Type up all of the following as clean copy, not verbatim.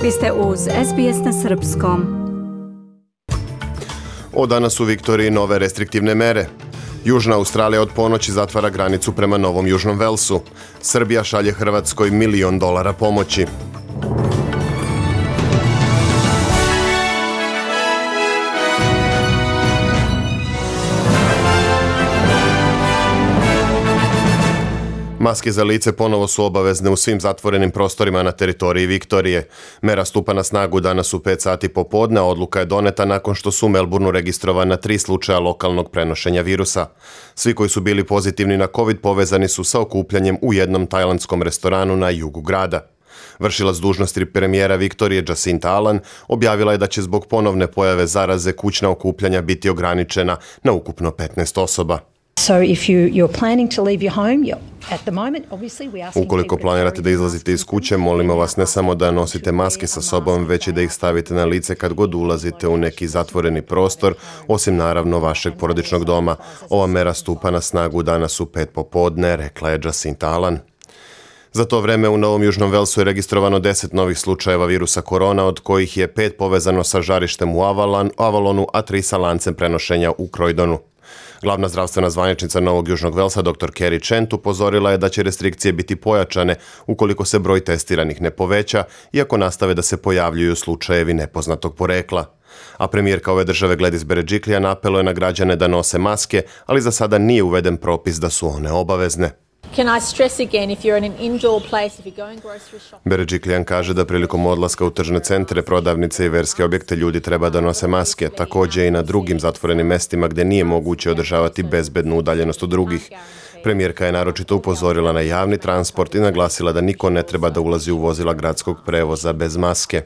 Vi ste uz SBS na srpskom. Od danas u Viktoriji nove restriktivne mere. Južna Australija od ponoći zatvara granicu prema Novom Južnom Velsu. Srbija šalje Hrvatskoj $1 milion pomoći. Maske za lice ponovo su obavezne u svim zatvorenim prostorima na teritoriji Viktorije. Mera stupa na snagu danas u 5 sati popodne, a odluka je doneta nakon što su u Melbourneu registrovana 3 slučaja lokalnog prenošenja virusa. Svi koji su bili pozitivni na COVID povezani su sa okupljanjem u jednom tajlandskom restoranu na jugu grada. Vršilac dužnosti premijera Viktorije Jacinta Allan objavila je da će zbog ponovne pojave zaraze kućna okupljanja biti ograničena na ukupno 15 osoba. Ukoliko planirate da izlazite iz kuće, molimo vas ne samo da nosite maske sa sobom, već i da ih stavite na lice kad god ulazite u neki zatvoreni prostor, osim naravno vašeg porodičnog doma. Ova mera stupa na snagu danas u 5 popodne, rekla je Jacinta Allan. Za to vreme u Novom Južnom Velsu je registrovano 10 novih slučajeva virusa korona, od kojih je 5 povezano sa žarištem u Avalonu, a 3 sa lancem prenošenja u Croydonu. Glavna zdravstvena zvaničnica Novog Južnog Velsa, dr. Kerry Chant, upozorila je da će restrikcije biti pojačane ukoliko se broj testiranih ne poveća, iako nastave da se pojavljuju slučajevi nepoznatog porekla. A premijerka ove države Gladys Berejiklian apeluje na građane da nose maske, ali za sada nije uveden propis da su one obavezne. Berejiklian kaže da prilikom odlaska u tržne centre, prodavnice i verske objekte ljudi treba da nose maske, također i na drugim zatvorenim mestima gdje nije moguće održavati bezbednu udaljenost od drugih. Premijerka je naročito upozorila na javni transport i naglasila da niko ne treba da ulazi u vozila gradskog prevoza bez maske.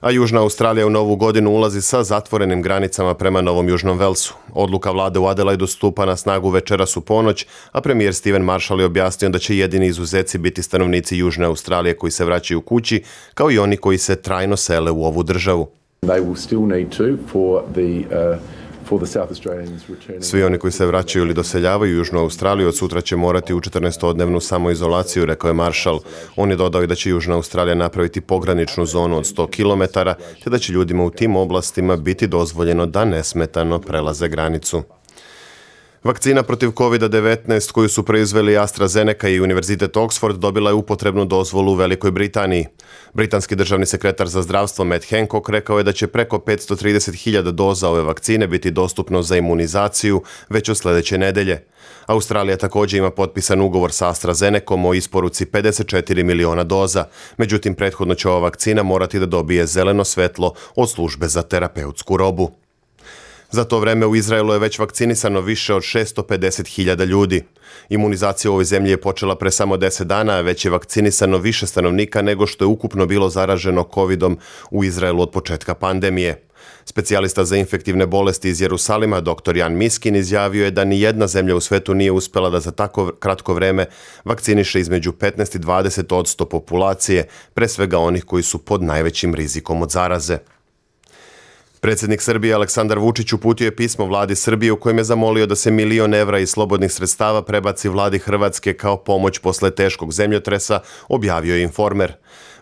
A Južna Australija u novu godinu ulazi sa zatvorenim granicama prema Novom Južnom Velsu. Odluka vlade u Adelaidu stupa na snagu večeras u ponoć, a premijer Stephen Marshall je objasnio da će jedini izuzeci biti stanovnici Južne Australije koji se vraćaju kući, kao i oni koji se trajno sele u ovu državu. Svi oni koji se vraćaju ili doseljavaju u Južnu Australiju od sutra će morati u 14-dnevnu samoizolaciju, rekao je Marshall. On je dodao i da će Južna Australija napraviti pograničnu zonu od 100 km, te da će ljudima u tim oblastima biti dozvoljeno da nesmetano prelaze granicu. Vakcina protiv COVID-19 koju su proizveli AstraZeneca i Univerzitet Oxford dobila je upotrebnu dozvolu u Velikoj Britaniji. Britanski državni sekretar za zdravstvo Matt Hancock rekao je da će preko 530.000 doza ove vakcine biti dostupno za imunizaciju već od sljedeće nedelje. Australija također ima potpisan ugovor sa AstraZenecom o isporuci 54 miliona doza, međutim prethodno će ova vakcina morati da dobije zeleno svetlo od službe za terapeutsku robu. Za to vreme u Izraelu je već vakcinisano više od 650.000 ljudi. Imunizacija u ovoj zemlji je počela pre samo 10 dana, a već je vakcinisano više stanovnika nego što je ukupno bilo zaraženo COVID-om u Izraelu od početka pandemije. Specijalista za infektivne bolesti iz Jerusalima, dr. Jan Miskin, izjavio je da ni jedna zemlja u svetu nije uspela da za tako kratko vreme vakciniše između 15 i 20% populacije, pre svega onih koji su pod najvećim rizikom od zaraze. Predsjednik Srbije Aleksandar Vučić uputio je pismo vladi Srbije u kojem je zamolio da se $1 milion iz slobodnih sredstava prebaci vladi Hrvatske kao pomoć posle teškog zemljotresa, objavio je Informer.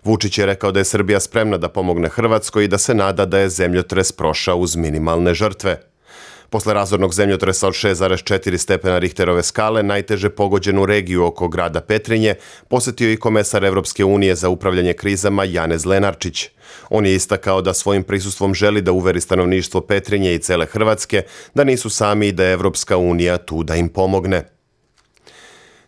Vučić je rekao da je Srbija spremna da pomogne Hrvatskoj i da se nada da je zemljotres prošao uz minimalne žrtve. Posle razornog zemljotresa od 6,4 stepena Richterove skale, najteže pogođenu regiju oko grada Petrinje, posjetio i komesar Evropske unije za upravljanje krizama Janez Lenarčić. On je istakao da svojim prisustvom želi da uveri stanovništvo Petrinje i cele Hrvatske da nisu sami i da je Evropska unija tu da im pomogne.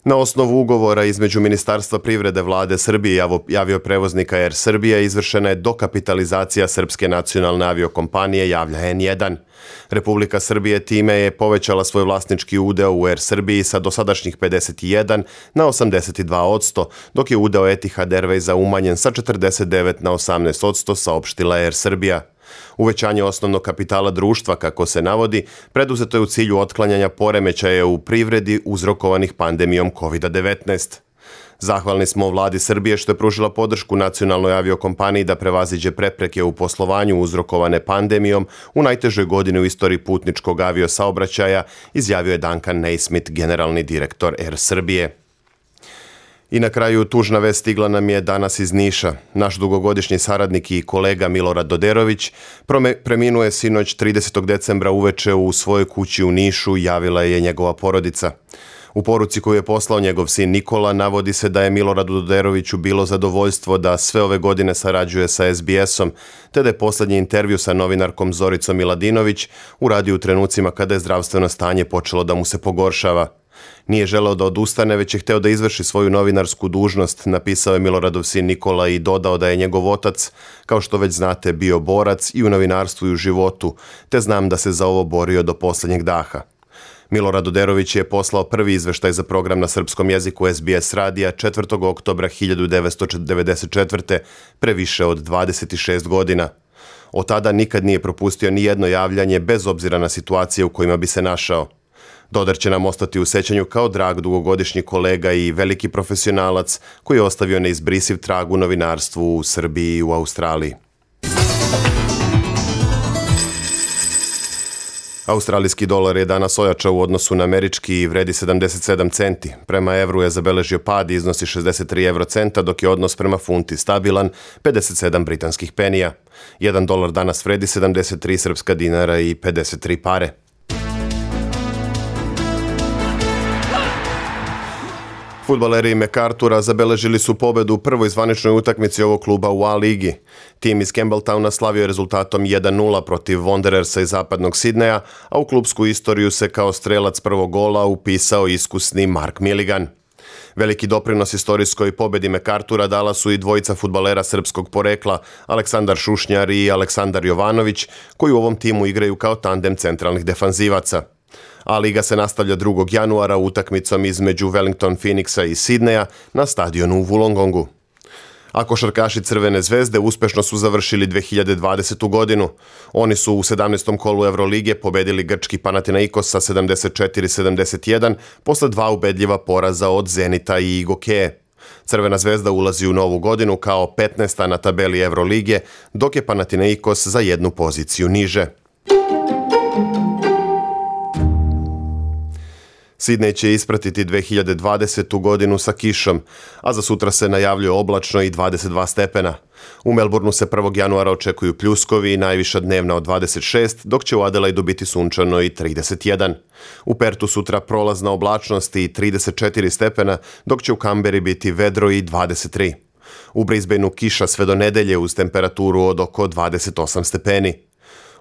Na osnovu ugovora između Ministarstva privrede vlade Srbije i avioprevoznika Air Srbija izvršena je dokapitalizacija srpske nacionalne aviokompanije, javlja N1. Republika Srbije time je povećala svoj vlasnički udeo u Air Srbiji sa dosadašnjih 51 na 82%, dok je udeo Etihad Airwaysa umanjen sa 49 na 18%, saopštila Air Srbija. Uvećanje osnovnog kapitala društva, kako se navodi, preduzeto je u cilju otklanjanja poremećaja u privredi uzrokovanih pandemijom COVID-19. Zahvalni smo vladi Srbije što je pružila podršku nacionalnoj aviokompaniji da prevaziđe prepreke u poslovanju uzrokovane pandemijom u najtežoj godini u istoriji putničkog aviosaobraćaja, izjavio je Duncan Naismith, generalni direktor Air Srbije. I na kraju tužna vest stigla nam je danas iz Niša. Naš dugogodišnji saradnik i kolega Milorad Doderović preminuo je sinoć 30. decembra uveče u svojoj kući u Nišu, javila je njegova porodica. U poruci koju je poslao njegov sin Nikola navodi se da je Miloradu Doderoviću bilo zadovoljstvo da sve ove godine sarađuje sa SBS-om, te da je posljednji intervju sa novinarkom Zoricom Miladinović uradio u trenucima kada je zdravstveno stanje počelo da mu se pogoršava. Nije želeo da odustane, već je hteo da izvrši svoju novinarsku dužnost, napisao je Miloradov sin Nikola i dodao da je njegov otac, kao što već znate, bio borac i u novinarstvu i u životu, te znam da se za ovo borio do posljednjeg daha. Milorad Doderović je poslao prvi izveštaj za program na srpskom jeziku SBS radija 4. oktobra 1994. pre više od 26 godina. Od tada nikad nije propustio ni jedno javljanje bez obzira na situacije u kojima bi se našao. Doder će nam ostati u sećanju kao drag dugogodišnji kolega i veliki profesionalac koji je ostavio neizbrisiv trag u novinarstvu u Srbiji i u Australiji. Australijski dolar je danas ojačao u odnosu na američki i vredi 77 centi. Prema evru je zabeležio pad i iznosi 63 eurocenta, dok je odnos prema funti stabilan, 57 britanskih penija. 1 dolar danas vredi 73 srpska dinara i 53 pare. Fudbaleri MacArthura zabeležili su pobedu u prvoj zvaničnoj utakmici ovog kluba u A-ligi. Tim iz Campbelltowna slavio je rezultatom 1-0 protiv Wanderersa iz zapadnog Sidneja, a u klubsku istoriju se kao strelac prvog gola upisao iskusni Mark Milligan. Veliki doprinos istorijskoj pobedi MacArthura dala su i dvojica fudbalera srpskog porekla, Aleksandar Šušnjar i Aleksandar Jovanović, koji u ovom timu igraju kao tandem centralnih defanzivaca. A liga se nastavlja 2. januara utakmicom između Wellington Phoenixa i Sidneja na stadionu u Wollongongu. A košarkaši Crvene zvezde uspešno su završili 2020. godinu. Oni su u 17. kolu Evrolige pobedili grčki Panathinaikos sa 74-71 posle 2 ubedljiva poraza od Zenita i Igokeje. Crvena zvezda ulazi u novu godinu kao 15. na tabeli Evrolige, dok je Panathinaikos za jednu poziciju niže. Sidnej će ispratiti 2020. godinu sa kišom, a za sutra se najavljuje oblačno i 22 stepena. U Melbourneu se 1. januara očekuju pljuskovi i najviša dnevna od 26, dok će u Adelaidu biti sunčano i 31. U Pertu sutra prolazna oblačnost i 34 stepena, dok će u Kamberi biti vedro i 23. U Brisbaneu kiša sve do nedelje uz temperaturu od oko 28 stepeni.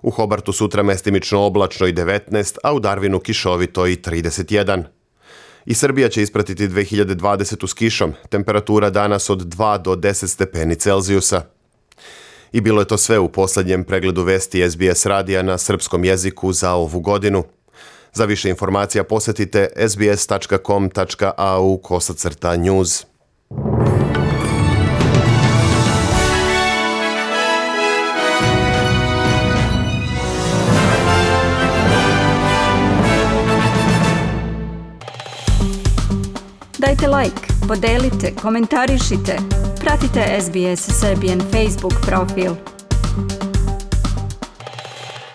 U Hobartu sutra mestimično oblačno i 19, a u Darwinu kišovito i 31. I Srbija će ispratiti 2020. s kišom, temperatura danas od 2 do 10 stepeni Celzijusa. I bilo je to sve u posljednjem pregledu vesti SBS radija na srpskom jeziku za ovu godinu. Za više informacija posjetite sbs.com.au/news. Dajte like, podelite, komentarišite. Pratite SBS Serbian Facebook profil.